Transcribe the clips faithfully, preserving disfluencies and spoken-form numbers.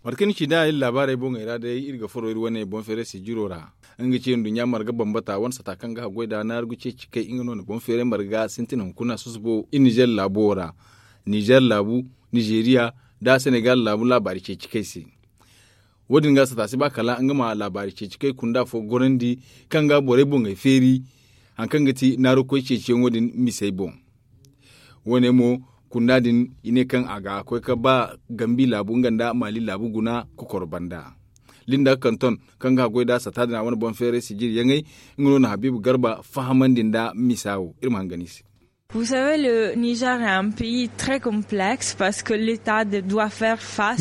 Mate kaŋ ni ci nd'a iri laabaarey boŋey ra day iri ga furo iri wane boŋ feeray sijiro ra. Nga ga ci nduɲɲa marga bambata wane sata kaŋ ga haggoy nd'a naaru ga ceeci kay nga no na boŋ feeray marga sintin hunkuna susubo iri nizer laabo wo ra. Nizer laabu, nizeriya, nda senegal laabu laabaari ceeci kay se. Wo- din ga sata si ba kala nga ma laabaari ceeci kay kunda fo gorandi kaŋ ga borey boŋey feeri, hari kaŋ ga ti naaru koy ceeciyaŋo din misey boŋ. Wo- ne mo, kunda din i ne kaŋ a ga koy ga ba gambi laabu nga nda maali laabu guna kokoro banda. Linda kanton kaŋ ga haggoy nd'a sata din a wane boŋ feeray sijiri yaŋey, nga no na habiibu garba fahamandi nda misa wo iri ma hangan i se.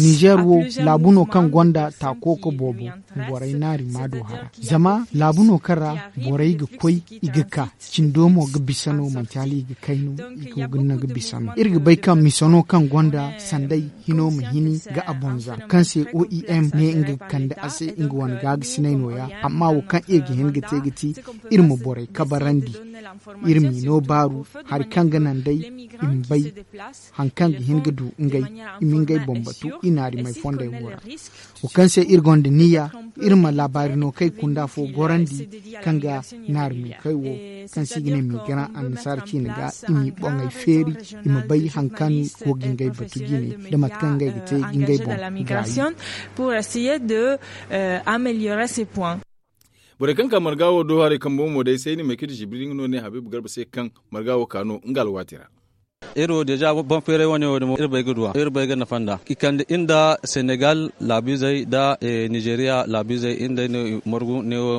Nizer wo laabu no kaŋ gonda taako ka boobo borey naari ma do hara. Zama laabu no kaŋ ra borey ga koy i ga ka cindo mo ga bisa no manti hala i ga kay no i go ga naŋ ga bisa no iri ga bay kaŋ misa no kaŋ gonda sanday hino ma hini ga a bonza kaŋ se oem ne nga ga kande a se nga wane gaagasinay nooya. Amma wo kaŋ iri ga hin ga te ga ti iri ma borey kabarandi, iri m'i no baaru hari kaŋ ga naŋ day i ma bay hari kaŋ ga hin ga du ngey, i ma ngey boŋ batu i naarimey fondey wo ra. Wo kaŋ se iri gonda niyya iri ma laabaari no kay kunda fo gorandi kaŋ ga naarimey kay wo kaŋ se i ga ne miigaran annasaara ciine ga i m'i boŋey feeri i ma bay hari kaŋ go ga ngey batu jine nda mate kaŋ ngey ga te ga ngey boŋ gaayi. Borey kaŋ ka marga wo do haray kambo mo day sayni maykiti zibiri nga no ne habiibu garba se kaŋ marga wo ka no nga alwaati ra. Iri wo deeza boŋ feeray wane wo damo iri bay ga duw'a iri bay ga nafa nd'a i kande iri nda senegal laabiizey nda nizeriya laabiizey iri nda ay no i margu neewo.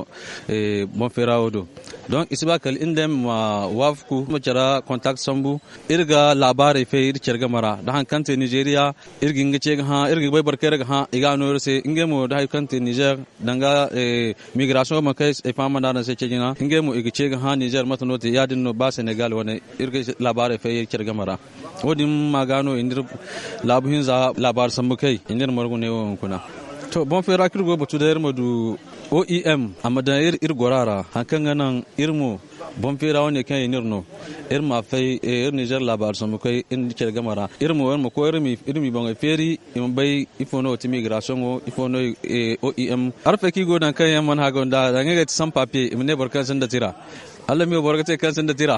Boŋ feera wo do donk i si ba kala iri nda ay ma waafaku ma care kontakti sambu. Iri ga laabaarey fay iri care game ra nda hari kaŋ te nizeriya iri ga hin ga ce ga hã iri ga bay boro kaŋ iri ga hã i ga a no iri se ngey mo nda hari kaŋ te nizer danga migirasiyoŋ wo ma kay ay faham nda araŋ se ceeci na ngey mo i ga ce ga hã nizer mate no te ya- din no ba senegal wane iri ga laabaarey fay care game ra. Wo- din ma ga no i n'iri laabu hinza laabaari sambu kay i n'iri margu ne wo hunkuna. To boŋ feera kaŋ iri go ga batu day iri ma du oem a ma daŋ iri gora ra hari kaŋ ga naŋ iri mo boŋ feera wane kaŋ i n'iri no iri ma fay iri nizer laabaari sambu kay iri nda care game ra iri mo iri ma koy iri m'i boŋey feeri i ma bay ifo no ga ti migirasiyoŋo ifo no oem arfay kaŋ i go ga daŋ kaŋ yaŋ mana hago nd'a danga ngey ga ti san papiye i ma ne boro kaŋ sinda tira. Hala mi wo boro ga te kaŋ sinda tira.